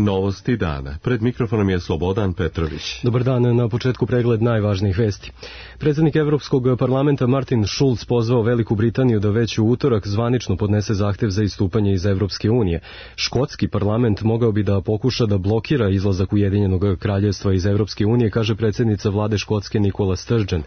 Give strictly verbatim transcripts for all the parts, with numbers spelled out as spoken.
Novosti dana. Pred mikrofonom je Slobodan Petrović. Dobar dan, na početku pregled najvažnijih vesti. Predsjednik Evropskog parlamenta Martin Schulz pozvao Veliku Britaniju da već u utorak zvanično podnese zahtev za istupanje iz Evropske unije. Škotski parlament mogao bi da pokuša da blokira izlazak Ujedinjenog kraljevstva iz Evropske unije, kaže predsjednica vlade Škotske Nicola Sturgeon.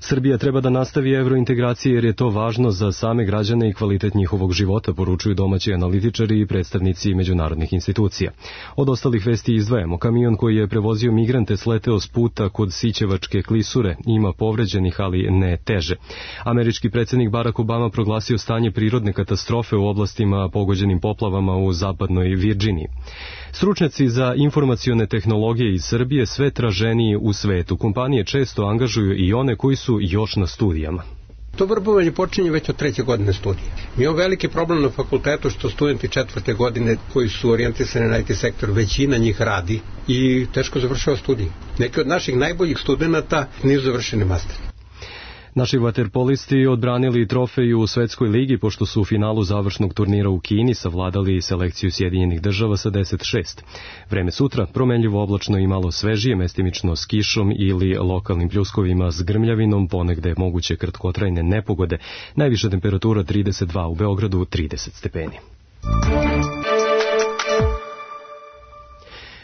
Srbija treba da nastavi evrointegracije jer je to važno za same građane i kvalitet njihovog života, poručuju domaći analitičari i predstavnici međunarodnih institucija. Od ostalih vesti izdvajamo. Kamion koji je prevozio migrante sleteo s puta kod Sićevačke klisure, ima povređenih, ali ne teže. Američki predsjednik Barack Obama proglasio stanje prirodne katastrofe u oblastima pogođenim poplavama u zapadnoj Virginiji. Stručnjaci za informacione tehnologije iz Srbije sve traženiji u svetu. Kompanije često angažuju i one koji su još na studijama. To vrbovanje počinje već od treće godine studija. Mi imamo veliki problem na fakultetu što studenti četvrte godine koji su orijentisani na I T sektor, većina njih radi i teško završava studije. Neki od naših najboljih studenata nisu završeni master. Naši vaterpolisti odbranili trofeju u Svetskoj ligi pošto su u finalu završnog turnira u Kini savladali selekciju Sjedinjenih država sa deset šest. Vreme sutra promenljivo oblačno i malo svežije, mestimično s kišom ili lokalnim pljuskovima s grmljavinom, ponegde moguće kratkotrajne nepogode. Najviša temperatura trideset dva, u Beogradu trideset stepeni.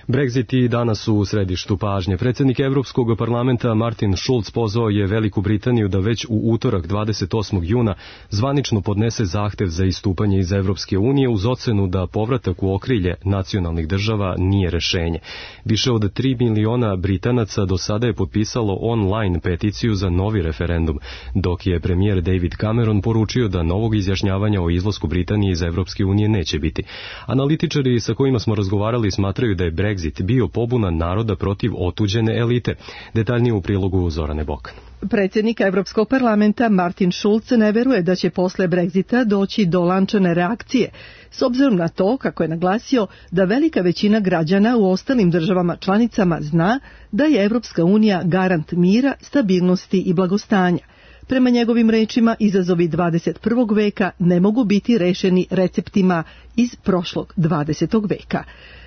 Brexit i danas su u središtu pažnje. Predsjednik Evropskog parlamenta Martin Schulz pozvao je Veliku Britaniju da već u utorak dvadeset osmog juna zvanično podnese zahtev za istupanje iz Evropske unije uz ocenu da povratak u okrilje nacionalnih država nije rešenje. Više od tri miliona Britanaca do sada je potpisalo online peticiju za novi referendum, dok je premijer David Cameron poručio da novog izjašnjavanja o izlasku Britanije iz Evropske unije neće biti. Analitičari sa kojima smo razgovarali smatraju da je Brexit Brexit bio pobuna naroda protiv otuđene elite. Detaljnije u prilogu Zorane Bokan. Predsjednik Evropskog parlamenta Martin Schulz ne veruje da će posle Brexita doći do lančane reakcije, s obzirom na to, kako je naglasio, da velika većina građana u ostalim državama članicama zna da je Evropska unija garant mira, stabilnosti i blagostanja. Prema njegovim rečima, izazovi dvadeset prvog veka ne mogu biti rešeni receptima iz prošlog dvadesetog veka.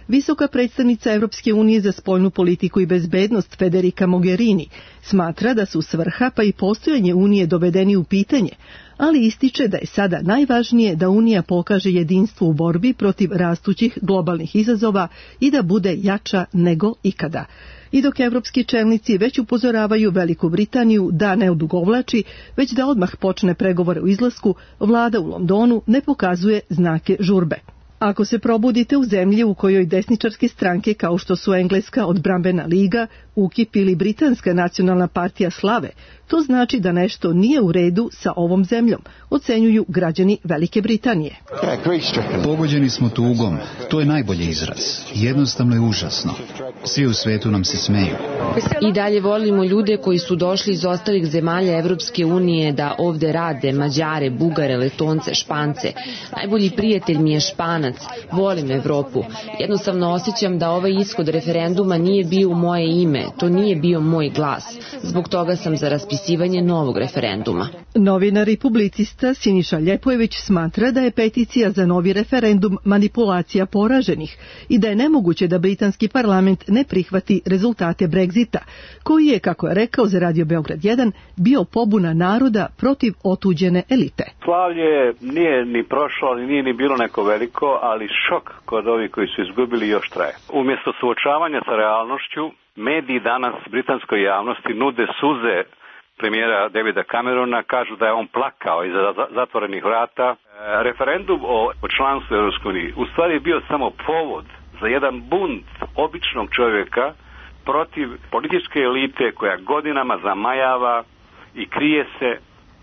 Visoka predstavnica Evropske unije za spoljnu politiku i bezbednost Federica Mogherini smatra da su svrha pa i postojanje Unije dovedeni u pitanje, ali ističe da je sada najvažnije da Unija pokaže jedinstvo u borbi protiv rastućih globalnih izazova i da bude jača nego ikada. I dok evropski čelnici već upozoravaju Veliku Britaniju da ne odugovlači, već da odmah počne pregovore o izlasku, vlada u Londonu ne pokazuje znake žurbe. Ako se probudite u zemlji u kojoj desničarske stranke kao što su Engleska odbrambena liga, U K I P ili Britanska nacionalna partija slave, to znači da nešto nije u redu sa ovom zemljom, ocenjuju građani Velike Britanije. Pogođeni smo tugom, to je najbolji izraz. Jednostavno je užasno. Svi u svetu nam se smeju. I dalje volimo ljude koji su došli iz ostalih zemalja Evropske unije da ovde rade, Mađare, Bugare, Letonce, Špance. Najbolji prijatelj mi je Španac, volim Evropu. Jednostavno osjećam da ovaj ishod referenduma nije bio u moje ime, to nije bio moj glas. Zbog toga sam za raspisivanje novog referenduma. Novinar i publicista Siniša Ljepojević smatra da je peticija za novi referendum manipulacija poraženih i da je nemoguće da britanski parlament ne prihvati rezultate Brexita, koji je, kako je rekao za Radio Beograd jedan, bio pobuna naroda protiv otuđene elite. Slavlje nije ni prošlo, ali nije ni bilo neko veliko, ali šok kod ovih koji su izgubili još traje. Umjesto suočavanja sa realnošću, mediji danas britanskoj javnosti nude suze premijera Davida Camerona, kažu da je on plakao iza zatvorenih vrata. E, referendum o, o članstvu u Europskoj uniji u stvari je bio samo povod za jedan bunt običnog čovjeka protiv političke elite koja godinama zamajava i krije se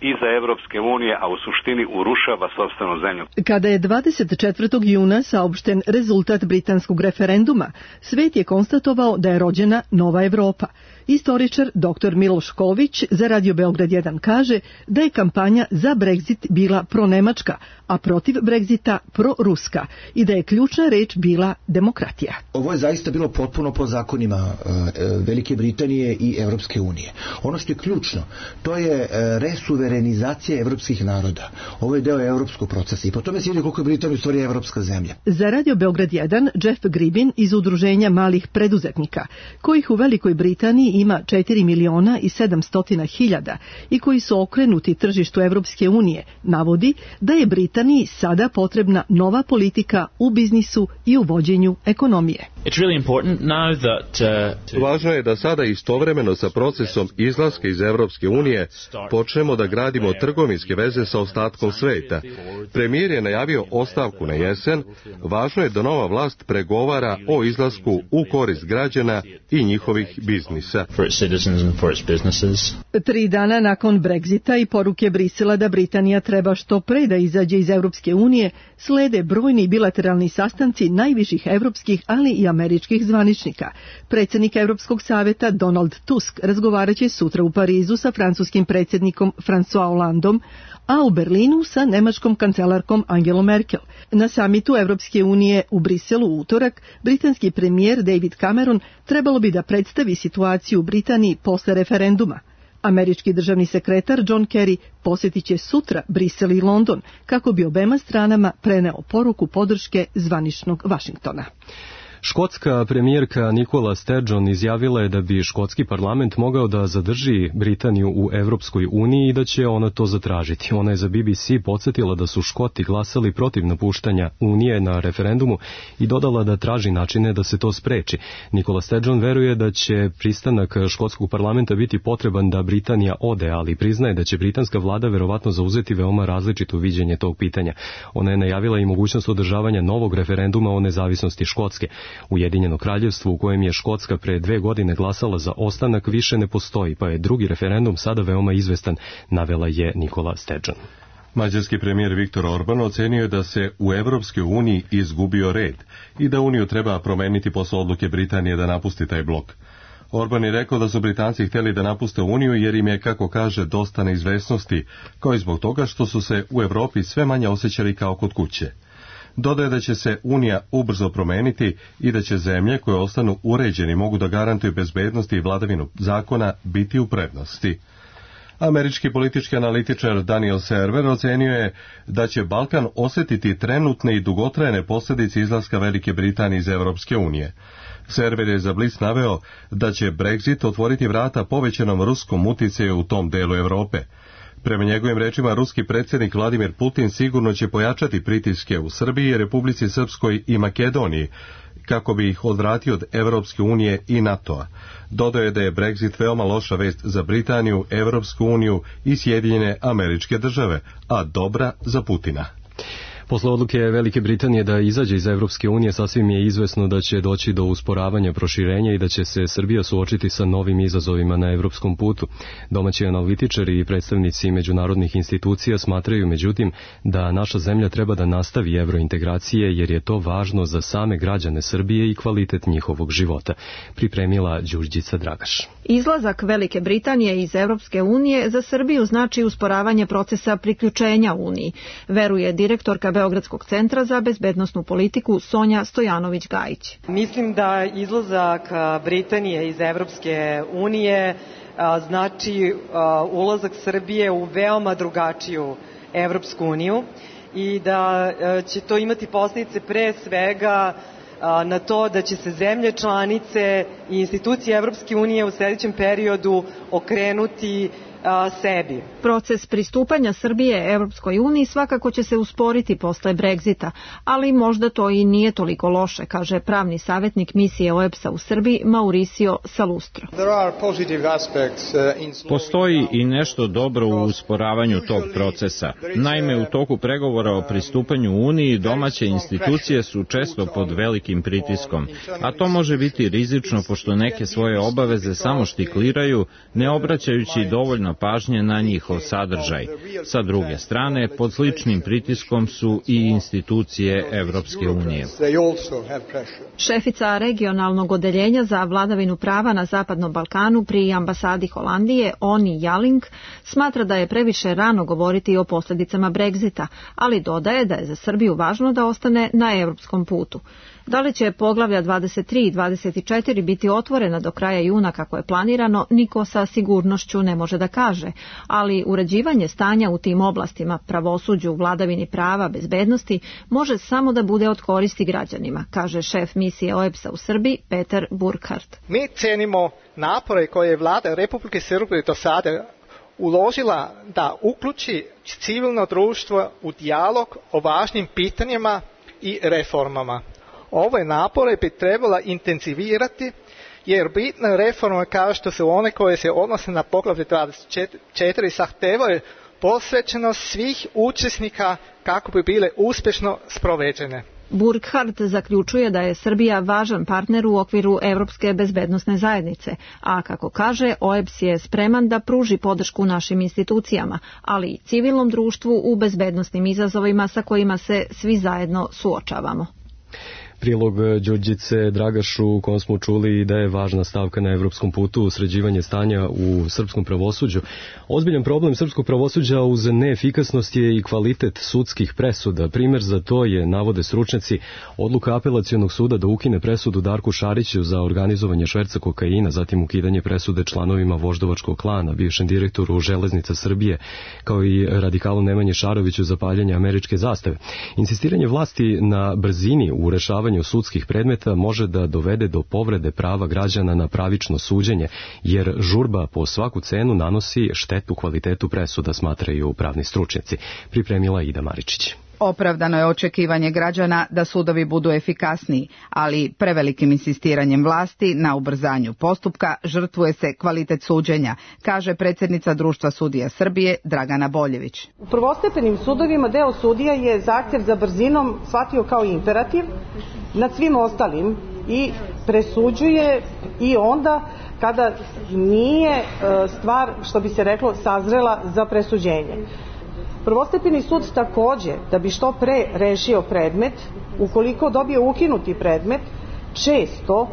iza Evropske unije, a u suštini urušava sopstvenu zemlju. Kada je dvadeset četvrtog juna saopšten rezultat britanskog referenduma, svet je konstatovao da je rođena nova Evropa. Istoričar doktor Miloš Ković za Radio Beograd jedan kaže da je kampanja za Brexit bila pronemačka, a protiv Brexita proruska i da je ključna reč bila demokratija. Ovo je zaista bilo potpuno po zakonima uh, Velike Britanije i Evropske unije. Ono što je ključno, to je uh, resuverenizacija evropskih naroda. Ovo je deo evropskog procesa i po tome se vidi koliko je Britanija u stvari evropska zemlja. Za Radio Beograd jedan Jeff Gribin iz Udruženja malih preduzetnika, kojih u Velikoj Britaniji ima četiri miliona i sedamsto hiljada i koji su okrenuti tržištu Evropske unije, navodi da je Britaniji sada potrebna nova politika u biznisu i u vođenju ekonomije. Važno je da sada istovremeno sa procesom izlaska iz Evropske unije počnemo da gradimo trgovinske veze sa ostatkom sveta. Premijer je najavio ostavku na jesen. Važno je da nova vlast pregovara o izlasku u korist građana i njihovih biznisa. Tri dana nakon Brexita i poruke Brisela da Britanija treba što pre da izađe iz Evropske unije, slede brojni bilateralni sastanci najviših evropskih, ali i američkih zvaničnika. Predsjednik Evropskog saveta Donald Tusk razgovaraće sutra u Parizu sa francuskim predsjednikom François Hollandom, a u Berlinu sa nemačkom kancelarkom Angelom Merkel. Na samitu Evropske unije u Briselu u utorak, britanski premijer David Cameron trebalo bi da predstavi situaciju u Britaniji posle referenduma. Američki državni sekretar John Kerry posjetit će sutra Brisel i London kako bi obema stranama preneo poruku podrške zvaničnog Vašingtona. Škotska premijerka Nicola Sturgeon izjavila je da bi škotski parlament mogao da zadrži Britaniju u Evropskoj uniji i da će ona to zatražiti. Ona je za B B C podsjetila da su Škoti glasali protiv napuštanja Unije na referendumu i dodala da traži načine da se to spreči. Nicola Sturgeon veruje da će pristanak škotskog parlamenta biti potreban da Britanija ode, ali priznaje da će britanska vlada verovatno zauzeti veoma različito viđenje tog pitanja. Ona je najavila i mogućnost održavanja novog referenduma o nezavisnosti Škotske. Ujedinjeno kraljevstvo u kojem je Škotska pre dve godine glasala za ostanak više ne postoji, pa je drugi referendum sada veoma izvestan, navela je Nicola Sturgeon. Mađarski premijer Viktor Orban ocenio je da se u Evropskoj uniji izgubio red i da Uniju treba promeniti posle odluke Britanije da napusti taj blok. Orban je rekao da su Britanci hteli da napuste Uniju jer im je, kako kaže, dosta neizvesnosti, kao i zbog toga što su se u Evropi sve manje osjećali kao kod kuće. Dodaje da će se Unija ubrzo promeniti i da će zemlje koje ostanu uređeni mogu da garantuju bezbednost i vladavinu zakona biti u prednosti. Američki politički analitičar Daniel Server ocenio je da će Balkan osjetiti trenutne i dugotrajne posljedice izlaska Velike Britanije iz Evropske unije. Server je za Blic naveo da će Brexit otvoriti vrata povećanom ruskom uticaju u tom delu Evrope. Prema njegovim rečima, ruski predsjednik Vladimir Putin sigurno će pojačati pritiske u Srbiji, Republici Srpskoj i Makedoniji, kako bi ih odvratio od Evropske unije i NATO-a. Dodao je da je Brexit veoma loša vest za Britaniju, Evropsku uniju i Sjedinjene Američke Države, a dobra za Putina. Posle odluke Velike Britanije da izađe iz Evropske unije, sasvim je izvesno da će doći do usporavanja proširenja i da će se Srbija suočiti sa novim izazovima na evropskom putu. Domaći analitičari i predstavnici međunarodnih institucija smatraju, međutim, da naša zemlja treba da nastavi evrointegracije jer je to važno za same građane Srbije i kvalitet njihovog života. Pripremila Đurđica Dragaš. Izlazak Velike Britanije iz Evropske unije za Srbiju znači usporavanje procesa priključenja Uniji, veruje direktorka Beogradskog centra za bezbednosnu politiku Sonja Stojanović-Gajić. Mislim da izlazak Britanije iz Evropske unije znači ulazak Srbije u veoma drugačiju Evropsku uniju i da će to imati posljedice pre svega na to da će se zemlje članice i institucije Evropske unije u sljedećem periodu okrenuti a, sebi. Proces pristupanja Srbije Evropskoj uniji svakako će se usporiti posle Brexita, ali možda to i nije toliko loše, kaže pravni savjetnik misije O E B S A u Srbiji Mauricio Salustro. Postoji i nešto dobro u usporavanju tog procesa. Naime, u toku pregovora o pristupanju Uniji domaće institucije su često pod velikim pritiskom, a to može biti rizično pošto neke svoje obaveze samo štikliraju, ne obraćajući dovoljno skrenuta pažnja na njihov sadržaj. Sa druge strane, pod sličnim pritiskom su i institucije Evropske unije. Šefica regionalnog odeljenja za vladavinu prava na Zapadnom Balkanu pri ambasadi Holandije, Oni Jaling, smatra da je previše rano govoriti o posljedicama Brexita, ali dodaje da je za Srbiju važno da ostane na evropskom putu. Da li će poglavlja dvadeset tri i dvadeset četiri biti otvorena do kraja juna kako je planirano, niko sa sigurnošću ne može da kaže, ali uređivanje stanja u tim oblastima, pravosuđu, vladavini prava, bezbednosti, može samo da bude od koristi građanima, kaže šef misije O E B S-a u Srbiji Petar Burkhardt. Mi cenimo napore koje je vlada Republike Srbije do sada uložila da uključi civilno društvo u dijalog o važnim pitanjima i reformama. Ove napore bi trebala intenzivirati jer bitne reforme kao što su one koje se odnose na poglavlje dvadeset četiri zahtevaju posvećenost svih učesnika kako bi bile uspješno sprovedene. Burkhardt zaključuje da je Srbija važan partner u okviru Evropske bezbednosne zajednice, a kako kaže, O E B S je spreman da pruži podršku našim institucijama, ali i civilnom društvu u bezbednosnim izazovima sa kojima se svi zajedno suočavamo. Prilog Đurđice Dragašu u kom smo čuli da je važna stavka na evropskom putu sređivanje stanja u srpskom pravosuđu. Ozbiljan problem srpskog pravosuđa uz neefikasnost je i kvalitet sudskih presuda. Primer za to je, navode stručnjaci, odluka apelacionog suda da ukine presudu Darku Šariću za organizovanje šverca kokaina, zatim ukidanje presude članovima voždovačkog klana, bivšem direktoru Železnica Srbije, kao i radikalu Nemanji Šaroviću za paljenje američke zastave. Insistiranje vlasti na brzini u rešavanju sudskih predmeta može da dovede do povrede prava građana na pravično suđenje, jer žurba po svaku cenu nanosi štetu kvalitetu presuda, smatraju pravni stručnjaci. Pripremila Ida Maričić. Opravdano je očekivanje građana da sudovi budu efikasniji, ali prevelikim insistiranjem vlasti na ubrzanju postupka žrtvuje se kvalitet suđenja, kaže predsjednica Društva sudija Srbije Dragana Boljević. U prvostepenim sudovima deo sudija je zahtjev za brzinom shvatio kao imperativ nad svim ostalim i presuđuje i onda kada nije stvar, što bi se reklo, sazrela za presuđenje. Prvostepeni sud također, da bi što pre rešio predmet, ukoliko dobije ukinuti predmet, često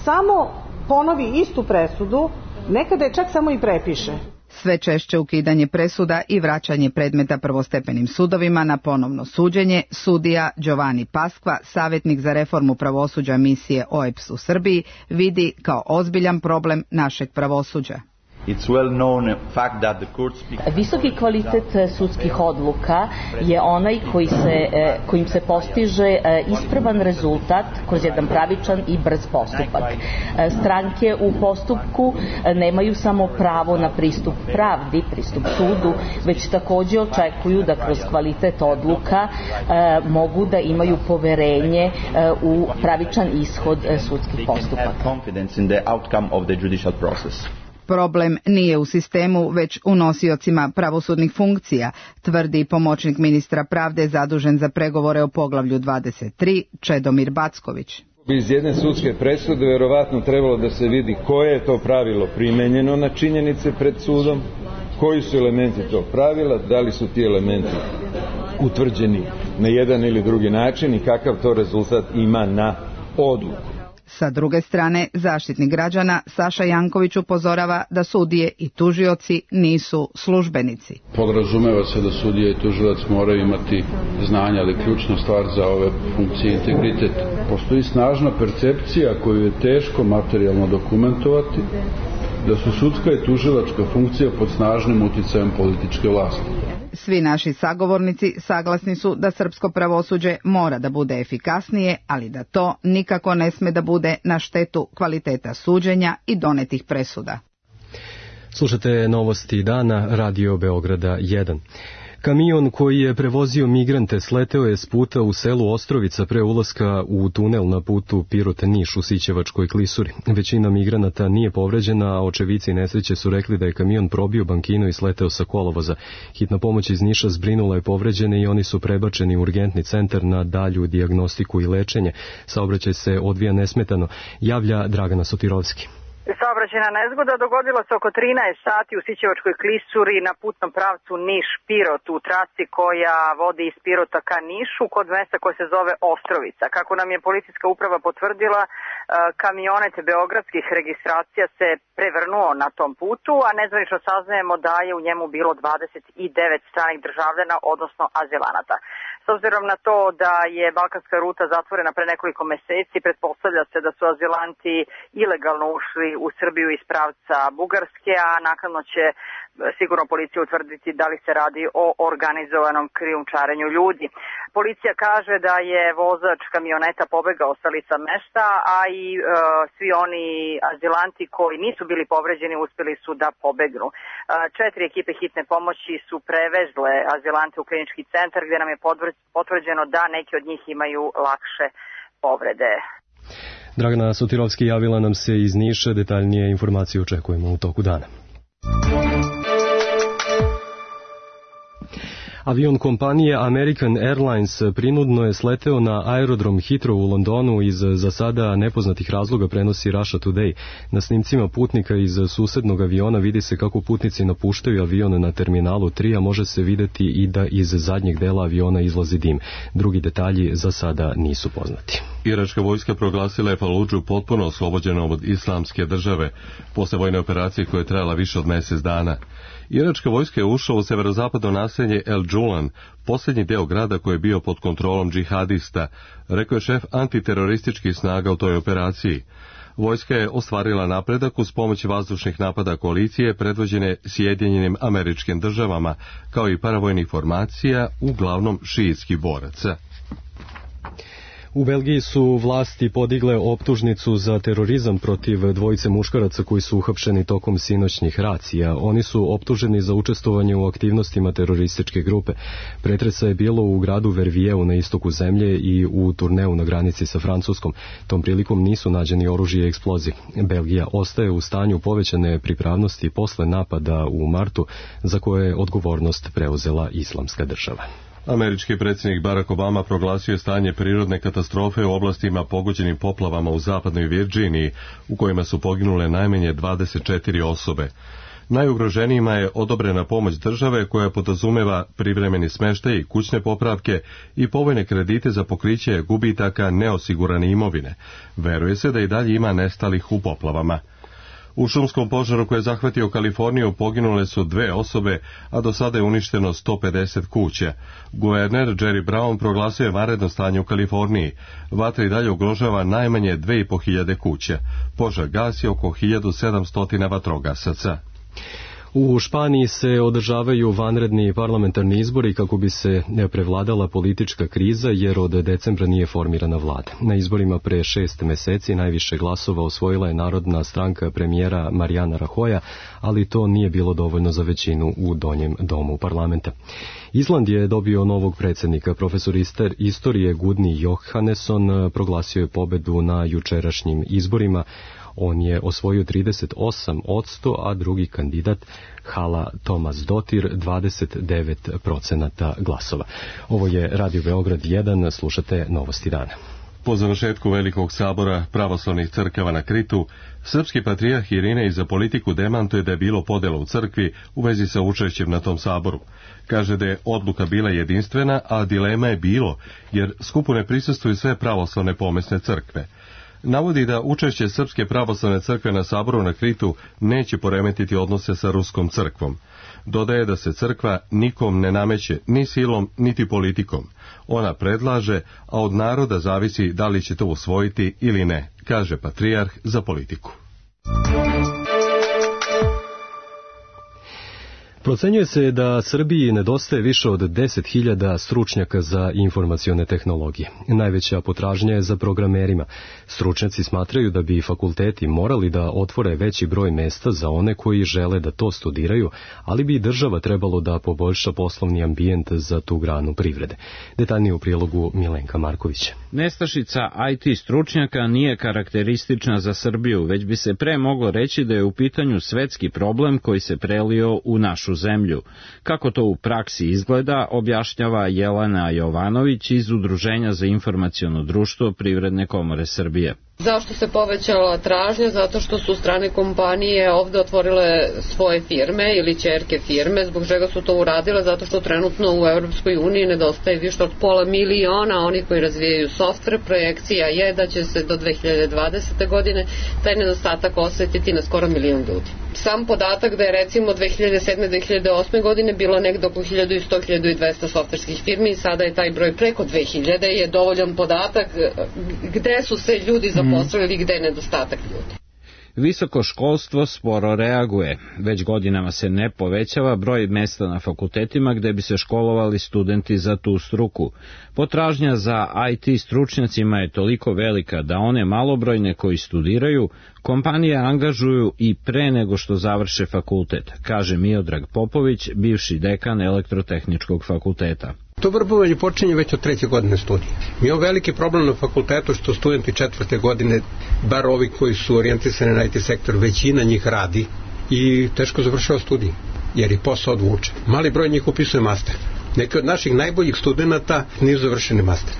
samo ponovi istu presudu, nekada je čak samo i prepiše. Sve češće ukidanje presuda i vraćanje predmeta prvostepenim sudovima na ponovno suđenje, sudija Giovanni Paskva, savjetnik za reformu pravosuđa misije O E B S u Srbiji, vidi kao ozbiljan problem našeg pravosuđa. Visoki kvalitet sudskih odluka je onaj koji se, kojim se postiže ispravan rezultat kroz jedan pravičan i brz postupak. Stranke u postupku nemaju samo pravo na pristup pravdi, pristup sudu, već također očekuju da kroz kvalitet odluka mogu da imaju poverenje u pravičan ishod sudskih postupaka. Problem nije u sistemu, već u nosiocima pravosudnih funkcija, tvrdi pomoćnik ministra pravde zadužen za pregovore o poglavlju dvadeset tri, Čedomir Backović. Iz jedne sudske presude verovatno trebalo da se vidi koje je to pravilo primenjeno na činjenice pred sudom, koji su elementi tog pravila, da li su ti elementi utvrđeni na jedan ili drugi način i kakav to rezultat ima na odluku. Sa druge strane, zaštitnik građana Saša Janković upozorava da sudije i tužioci nisu službenici. Podrazumeva se da sudije i tužilac moraju imati znanja, ali ključna stvar za ove funkcije integritet. Postoji snažna percepcija koju je teško materijalno dokumentovati, da su sudska i tužilačka funkcija pod snažnim uticajem političke vlasti. Svi naši sagovornici saglasni su da srpsko pravosuđe mora da bude efikasnije, ali da to nikako ne sme da bude na štetu kvaliteta suđenja i donetih presuda. Slušate novosti dana, Radio Beograda jedan. Kamion koji je prevozio migrante sleteo je s puta u selu Ostrovica pre ulaska u tunel na putu Pirot-Niš u Sićevačkoj klisuri. Većina migranata nije povređena, a očevici nesreće su rekli da je kamion probio bankinu i sleteo sa kolovoza. Hitna pomoć iz Niša zbrinula je povređene i oni su prebačeni u urgentni centar na dalju dijagnostiku i lečenje. Saobraćaj se odvija nesmetano, javlja Dragana Sotirovski. Saobraćajna nezgoda dogodila se oko trinaest sati u Sićevačkoj klisuri na putnom pravcu Niš-Pirot u trasi koja vodi iz Pirota ka Nišu kod mesta koje se zove Ostrovica. Kako nam je policijska uprava potvrdila, kamionet beogradskih registracija se prevrnuo na tom putu, a nezvanično saznajemo da je u njemu bilo dvadeset devet stranih državljana, odnosno azilanata. S obzirom na to da je balkanska ruta zatvorena pre nekoliko meseci, pretpostavlja se da su azilanti ilegalno ušli u Srbiju iz pravca Bugarske, a naknadno će sigurno policija utvrditi da li se radi o organizovanom krijumčarenju ljudi. Policija kaže da je vozač kamioneta pobegao sa lica mesta, a i e, svi oni azilanti koji nisu bili povređeni uspeli su da pobegnu. E, četiri ekipe hitne pomoći su prevezle azilante u klinički centar gdje nam je potvrđeno da neki od njih imaju lakše povrede. Dragana Sotirovski javila nam se iz Niša, detaljnije informacije očekujemo u toku dana. Avion kompanije American Airlines prinudno je sleteo na aerodrom Heathrow u Londonu iz za sada nepoznatih razloga, prenosi Russia Today. Na snimcima putnika iz susednog aviona vidi se kako putnici napuštaju avion na terminalu tri, a može se videti i da iz zadnjeg dela aviona izlazi dim. Drugi detalji za sada nisu poznati. Iračka vojska proglasila je Faludžu potpuno oslobođenom od islamske države posle vojne operacije koja je trajala više od mjesec dana. Iračka vojska je ušla u severozapadno naselje El Džulan, posljednji deo grada koji je bio pod kontrolom džihadista, rekao je šef antiterorističkih snaga u toj operaciji. Vojska je ostvarila napredak uz pomoć vazdušnih napada koalicije predvođene Sjedinjenim Američkim Državama, kao i paravojnih formacija, uglavnom šiitskih boraca. U Belgiji su vlasti podigle optužnicu za terorizam protiv dvojice muškaraca koji su uhapšeni tokom sinoćnih racija. Oni su optuženi za učestvovanje u aktivnostima terorističke grupe. Pretresa je bilo u gradu Vervieu na istoku zemlje i u Turneu na granici sa Francuskom. Tom prilikom nisu nađeni oružje i eksploziv. Belgija ostaje u stanju povećane pripravnosti posle napada u martu za koje je odgovornost preuzela Islamska država. Američki predsjednik Barack Obama proglasio je stanje prirodne katastrofe u oblastima pogođenim poplavama u zapadnoj Virginiji, u kojima su poginule najmanje dvadeset četiri osobe. Najugroženijima je odobrena pomoć države koja podrazumeva privremeni smještaj, kućne popravke i povoljne kredite za pokriće gubitaka neosigurane imovine. Veruje se da i dalje ima nestalih u poplavama. U šumskom požaru koji je zahvatio Kaliforniju poginule su dve osobe, a do sada je uništeno sto pedeset kuća. Guverner Jerry Brown proglasio je vanredno stanje u Kaliforniji. Vatra i dalje ugrožava najmanje dve i po hiljade kuća. Požar gasi oko hiljadu sedamsto vatrogasaca. U Španiji se održavaju vanredni parlamentarni izbori kako bi se prevladala politička kriza, jer od decembra nije formirana vlada. Na izborima pre šest meseci najviše glasova osvojila je Narodna stranka premijera Mariana Rajoya, ali to nije bilo dovoljno za većinu u donjem domu parlamenta. Island je dobio novog predsjednika. Profesor istorije Gudni Johannesson proglasio je pobedu na jučerašnjim izborima. On je osvojio trideset osam posto, a drugi kandidat Hala Tomasdottir dvadeset devet procenata glasova. Ovo je Radio Beograd jedan, slušate Novosti dana. Po završetku Velikog sabora pravoslavnih crkava na Kritu, srpski patrijarh Irinej za politiku demantuje da je bilo podela u crkvi u vezi sa učešćem na tom saboru. Kaže da je odluka bila jedinstvena, a dilema je bilo, jer skupu ne prisustvuju sve pravoslavne pomesne crkve. Navodi da učešće Srpske pravoslavne crkve na saboru na Kritu neće poremetiti odnose sa Ruskom crkvom. Dodaje da se crkva nikom ne nameće, ni silom, niti politikom. Ona predlaže, a od naroda zavisi da li će to usvojiti ili ne, kaže patrijarh za politiku. Procenjuje se da Srbiji nedostaje više od deset hiljada stručnjaka za informacione tehnologije. Najveća potražnja je za programerima. Stručnjaci smatraju da bi fakulteti morali da otvore veći broj mesta za one koji žele da to studiraju, ali bi i država trebalo da poboljša poslovni ambijent za tu granu privrede. Detaljnije u prilogu Milenka Markovića. Nestašica I T stručnjaka nije karakteristična za Srbiju, već bi se pre moglo reći da je u pitanju svetski problem koji se prelio u našu zemlju. Kako to u praksi izgleda, objašnjava Jelena Jovanović iz Udruženja za informaciono društvo Privredne komore Srbije. Zašto se povećala tražnja? Zato što su strane kompanije ovde otvorile svoje firme ili ćerke firme. Zbog čega su to uradile? Zato što trenutno u Evropskoj uniji nedostaje više od pola miliona onih koji razvijaju softver. Projekcija je da će se do dve hiljade dvadesete. godine taj nedostatak osetiti na skoro milion ljudi. Sam podatak da je recimo dve hiljade sedme. do dve hiljade osme. godine bilo negde oko hiljadu sto do hiljadu dvesta softverskih firmi i sada je taj broj preko dve hiljade je dovoljan podatak gde su se ljudi zaposlili, gde je nedostatak ljudi. Visoko školstvo sporo reaguje. Već godinama se ne povećava broj mesta na fakultetima gde bi se školovali studenti za tu struku. Potražnja za I T stručnjacima je toliko velika da one malobrojne koji studiraju, kompanije angažuju i pre nego što završe fakultet, kaže Miodrag Popović, bivši dekan Elektrotehničkog fakulteta. To vrbovanje počinje već od treće godine studija. Mi imamo veliki problem na fakultetu što studenti četvrte godine, bar ovi koji su orijentisani na I T sektor, većina njih radi i teško završava studij, jer i posao odvuče. Mali broj njih upisuje master. Neki od naših najboljih studenta nisu završeni master.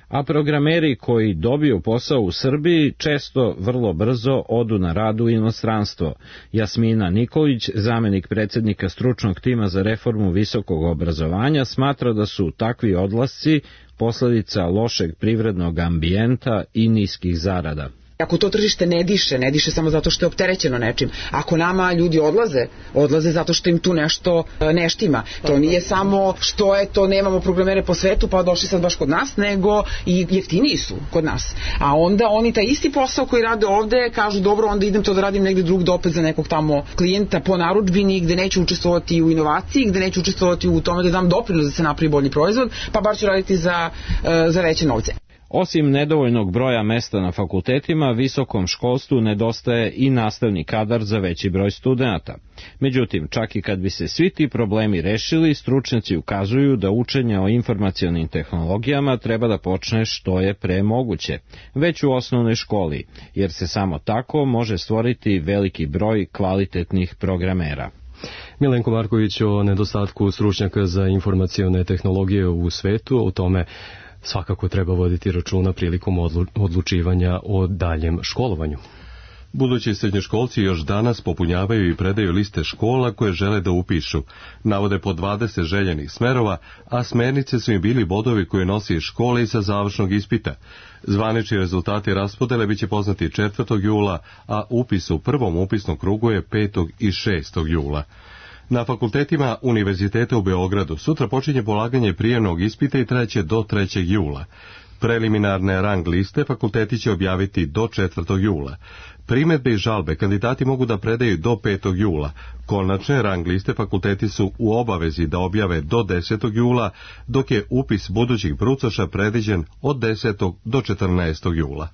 A programeri koji dobiju posao u Srbiji često vrlo brzo odu na rad u inostranstvo. Jasmina Nikolić, zamenik predsjednika stručnog tima za reformu visokog obrazovanja, smatra da su takvi odlasci posledica lošeg privrednog ambijenta i niskih zarada. Ako to tržište ne diše, ne diše samo zato što je opterećeno nečim. Ako nama ljudi odlaze, odlaze zato što im tu nešto ne štima. To nije samo što je to, nemamo programere po svetu pa došli sad baš kod nas, nego i jeftiniji su kod nas. A onda oni taj isti posao koji rade ovde kažu dobro, onda idem to da radim negde drugde opet za nekog tamo klijenta po narudžbini gde neću učestvovati u inovaciji, gde neću učestvovati u tome da dam doprinos da se napravi bolji proizvod, pa bar ću raditi za, za veće novce. Osim nedovoljnog broja mesta na fakultetima, visokom školstvu nedostaje i nastavni kadar za veći broj studenata. Međutim, čak i kad bi se svi ti problemi rešili, stručnjaci ukazuju da učenje o informacionim tehnologijama treba da počne što je pre moguće, već u osnovnoj školi, jer se samo tako može stvoriti veliki broj kvalitetnih programera. Milenko Marković o nedostatku stručnjaka za informacione tehnologije u svetu, o tome svakako treba voditi računa prilikom odlučivanja o daljem školovanju. Budući srednjoškolci još danas popunjavaju i predaju liste škola koje žele da upišu. Navode po dvadeset željenih smerova, a smernice su im bili bodovi koje nosi iz škole i sa završnog ispita. Zvanični rezultati raspodele biće poznati četvrtog jula, a upis u prvom upisnom krugu je petog i šestog jula. Na fakultetima Univerziteta u Beogradu sutra počinje polaganje prijemnog ispita i trajeće do trećeg jula. Preliminarne rang liste fakulteti će objaviti do četvrtog jula. Primedbe i žalbe kandidati mogu da predaju do petog jula. Konačne rang liste fakulteti su u obavezi da objave do desetog jula, dok je upis budućih brucoša predviđen od desetog do četrnaestog jula.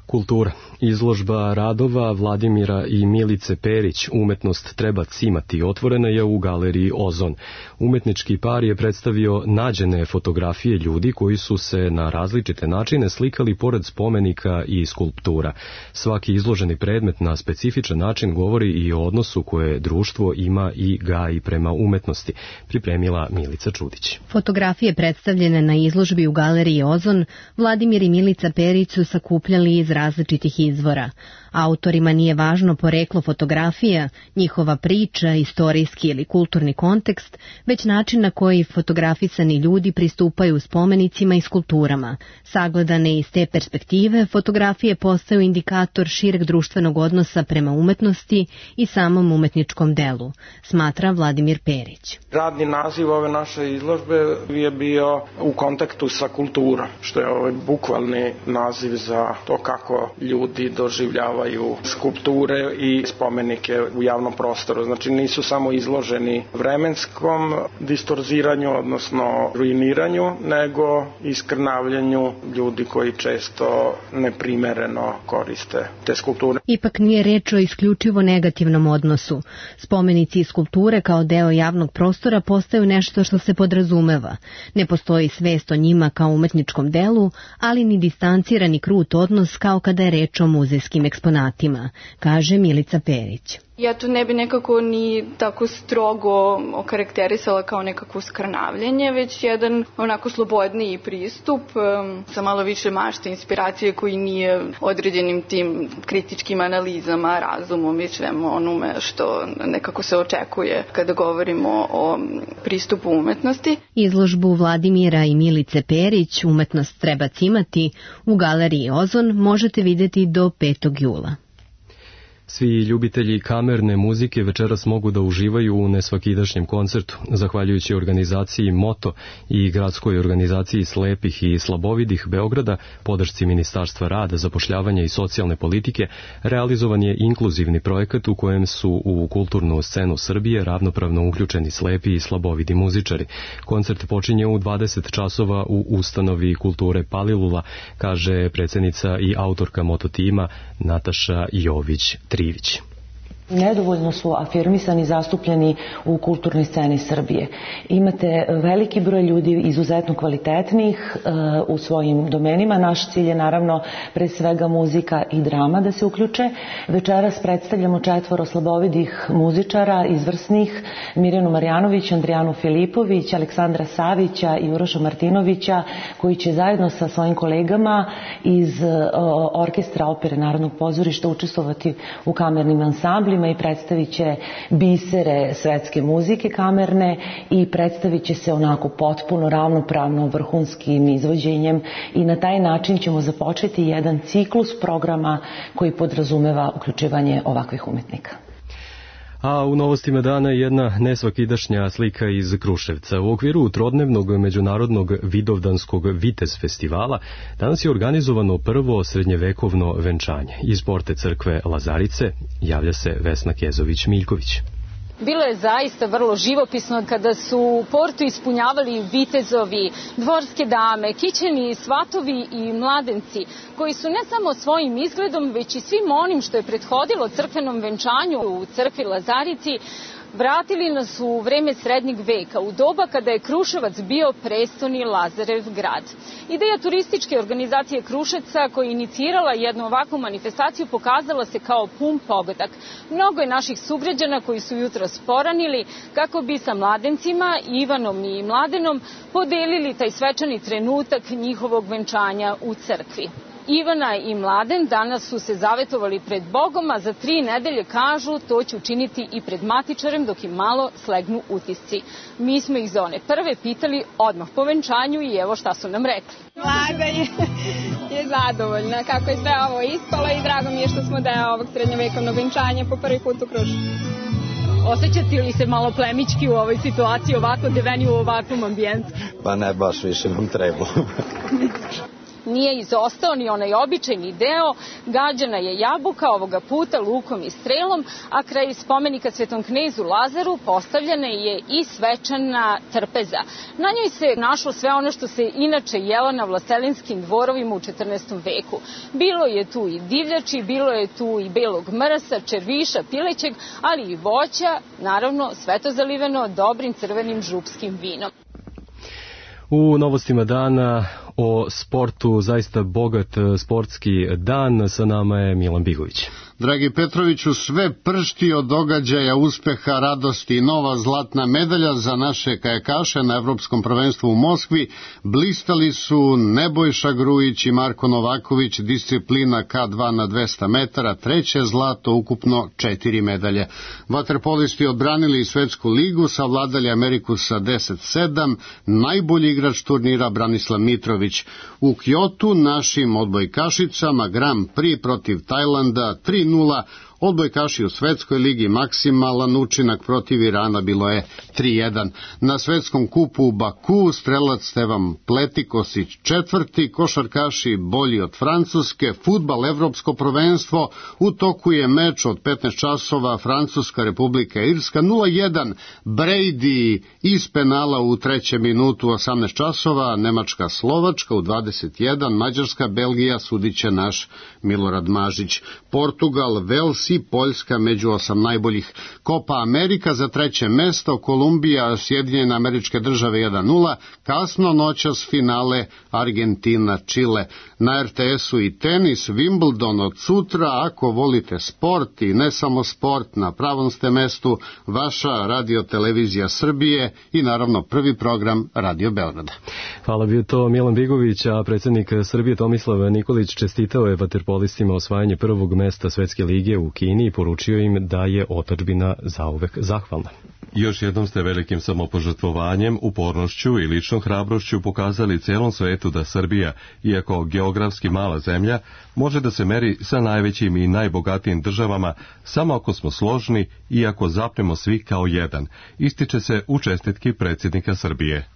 Kultura. Izložba radova Vladimira i Milice Perić, Umetnost treba cimati, otvorena je u galeriji Ozon. Umetnički par je predstavio nađene fotografije ljudi koji su se na različite načine slikali pored spomenika i skulptura. Svaki izloženi predmet na specifičan način govori i o odnosu koje društvo ima i gaji prema umetnosti, pripremila Milica Čudić. Fotografije predstavljene na izložbi u galeriji Ozon Vladimir i Milica Perić su sakupljali iz različitih izvora. Autorima nije važno poreklo fotografija, njihova priča, istorijski ili kulturni kontekst, već način na koji fotografisani ljudi pristupaju spomenicima i skulpturama. Sagledane iz te perspektive, fotografije postaju indikator šireg društvenog odnosa prema umetnosti i samom umetničkom delu, smatra Vladimir Perić. Radni naziv ove naše izložbe je bio u kontaktu sa kulturom, što je ovaj bukvalni naziv za to kako ljudi doživljavaju skulpture i spomenike u javnom prostoru. Znači nisu samo izloženi vremenskom distorziranju, odnosno ruiniranju, nego iskrnavljanju ljudi koji često neprimereno koriste te skulpture. Ipak nije reč o isključivo negativnom odnosu. Spomenici i skulpture kao deo javnog prostora postaju nešto što se podrazumeva. Ne postoji svest o njima kao umetničkom delu, ali ni distancirani krut odnos kao kada je reč o muzejskim ekspozicijama. eksponatima, kaže Milica Perić. Ja to ne bi nekako ni tako strogo okarakterisala kao nekako skrnavljenje, već jedan onako slobodniji pristup um, sa malo više mašte, inspiracije koji nije određenim tim kritičkim analizama, razumom, već svemu onome što nekako se očekuje kada govorimo o pristupu umetnosti. Izložbu Vladimira i Milice Perić Umetnost treba cimati u galeriji Ozon možete vidjeti do petog jula. Svi ljubitelji kamerne muzike večeras mogu da uživaju u nesvakidašnjem koncertu. Zahvaljujući organizaciji Moto i gradskoj organizaciji slepih i slabovidih Beograda, podršci Ministarstva rada, zapošljavanja i socijalne politike, realizovan je inkluzivni projekat u kojem su u kulturnu scenu Srbije ravnopravno uključeni slepi i slabovidi muzičari. Koncert počinje u dvadeset časova u ustanovi kulture Palilula, kaže predsjednica i autorka Moto tima Nataša Jović Trivić. Nedovoljno su afirmisani i zastupljeni u kulturnoj sceni Srbije. Imate veliki broj ljudi izuzetno kvalitetnih uh, u svojim domenima. Naš cilj je naravno pre svega muzika i drama da se uključe. Večeras predstavljamo četvoro slabovidih muzičara, izvrsnih, Mirjanu Marjanović, Andrijanu Filipović, Aleksandra Savića i Uroša Martinovića, koji će zajedno sa svojim kolegama iz uh, orkestra opere Narodnog pozorišta učestvovati u kamernim ansamblima i predstavit će bisere svetske muzike kamerne i predstavit će se onako potpuno ravnopravno vrhunskim izvođenjem i na taj način ćemo započeti jedan ciklus programa koji podrazumeva uključivanje ovakvih umetnika. A u novostima dana jedna nesvakidašnja slika iz Kruševca. U okviru trodnevnog međunarodnog vidovdanskog Vitez festivala danas je organizovano prvo srednjevekovno venčanje. Iz porte crkve Lazarice javlja se Vesna Kezović-Miljković. Bilo je zaista vrlo živopisno kada su portu ispunjavali vitezovi, dvorske dame, kićeni svatovi i mladenci, koji su ne samo svojim izgledom, već i svim onim što je prethodilo crkvenom venčanju u crkvi Lazarici, vratili nas u vreme srednjeg veka, u doba kada je Kruševac bio prestoni Lazarev grad. Ideja turističke organizacije Kruševca, koja je inicirala jednu ovakvu manifestaciju, pokazala se kao pun pogodak. Mnogo je naših sugrađana koji su jutro sporanili kako bi sa mladencima, Ivanom i Mladenom, podelili taj svečani trenutak njihovog venčanja u crkvi. Ivana i Mladen danas su se zavetovali pred Bogom, a za tri nedelje kažu to će učiniti i pred matičarem dok im malo slegnu utisci. Mi smo ih za one prve pitali odmah po venčanju i evo šta su nam rekli. Vlada je, je zadovoljna kako je sve ovo ispalo i drago mi je što smo deo ovog srednjovekovnog venčanja po prvi put u Krušu. Osjećate li se malo plemički u ovoj situaciji, ovako deveni u ovakvom ambijentu? Pa ne, baš više nam treba. Nije izostao ni onaj običajni deo, gađana je jabuka, ovoga puta lukom i strelom, a kraj spomenika Svetom knezu Lazaru postavljena je i svečana trpeza. Na njoj se našlo sve ono što se inače jelo na vlastelinskim dvorovima u četrnaestom veku. Bilo je tu i divljači, bilo je tu i belog mrsa, červiša, pilećeg, ali i voća, naravno sve to zaliveno dobrim crvenim župskim vinom. U novostima dana o sportu, zaista bogat sportski dan, sa nama je Milan Bigović. Dragi Petroviću, sve pršti od događaja, uspeha, radosti i nova zlatna medalja za naše kajakaše na Evropskom prvenstvu u Moskvi. Blistali su Nebojša Grujić i Marko Novaković, disciplina K dva na dvesta metara, treće zlato, ukupno četiri medalje. Vaterpolisti odbranili svetsku ligu, savladali Ameriku sa deset sedam, najbolji igrač turnira Branislav Mitrović. U Kyotu našim odbojkašicama Grand Prix protiv Tajlanda tri nula, odbojkaši u svetskoj ligi maksimalan učinak protiv Irana bilo je tri jedan. Na svetskom kupu u Baku strelac Stevan Pletikosić četvrti, košarkaši bolji od Francuske, fudbal evropsko prvenstvo, u toku je meč od petnaest časova Francuska Republika Irska nula jedan, Brady iz penala u trećem minutu osamnaest časova, Nemačka Slovačka u dvadeset jedan, Mađarska Belgija sudiće naš Milorad Mažić. Portugal Vels šest i Poljska među osam najboljih. Copa Amerika za treće mesto, Kolumbija, Sjedinjene Američke Države jedan nula, kasno noćas finale Argentina, Čile. Na er te esu i tenis, Wimbledon od sutra, ako volite sport i ne samo sport, na pravom ste mestu, vaša radio televizija Srbije i naravno prvi program Radio Beograda. Hvala, bio to Milan Bigović, a predsjednik Srbije Tomislav Nikolić čestitao je vaterpolistima osvajanje prvog mesta Svetske lige u Kini i poručio im da je otadžbina zauvek zahvalna. Još jednom ste velikim samopožrtvovanjem, upornošću i ličnom hrabrošću pokazali celom svetu da Srbija, iako geografski mala zemlja, može da se meri sa najvećim i najbogatijim državama samo ako smo složni i ako zapnemo svi kao jedan, ističe se u čestitki predsjednika Srbije.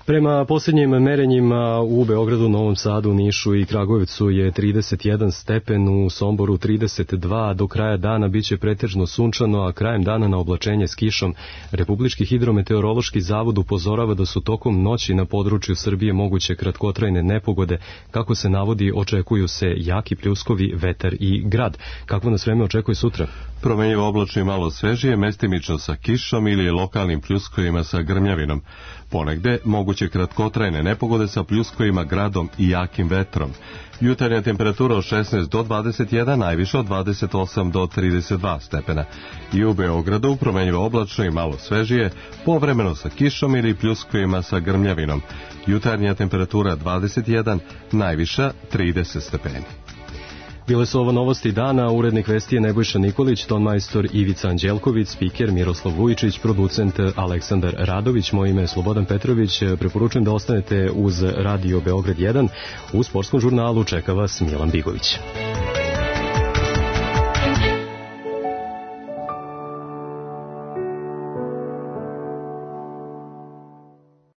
Prema posljednjim merenjima u Beogradu, Novom Sadu, Nišu i Kragujevcu je trideset jedan stepen, u Somboru trideset dva, do kraja dana biće pretežno sunčano, a krajem dana na oblačenje s kišom. Republički hidrometeorološki zavod upozorava da su tokom noći na području Srbije moguće kratkotrajne nepogode. Kako se navodi, očekuju se jaki pljuskovi, vetar i grad. Kakvo nas vreme očekuje sutra? Promenjivo oblačno i malo svežije, mestimično sa kišom ili lokalnim pljuskovima sa grmljavinom. Ponegde moguće kratkotrajne nepogode sa pljuskovima, gradom i jakim vetrom. Jutarnja temperatura od šesnaest do dvadeset jedan, najviše od dvadeset osam do trideset dva stepena. I u Beogradu promenjivo oblačno i malo svežije, povremeno sa kišom ili pljuskovima sa grmljavinom. Jutarnja temperatura dvadeset jedan, najviša trideset stepeni. Bile su ovo novosti dana, urednik vesti je Nebojša Nikolić, tonmajstor Ivica Anđelković, spiker Miroslav Vujičić, producent Aleksandar Radović, moje ime je Slobodan Petrović. Preporučujem da ostanete uz Radio Beograd jedan. U sportskom žurnalu čeka vas Milan Bigović.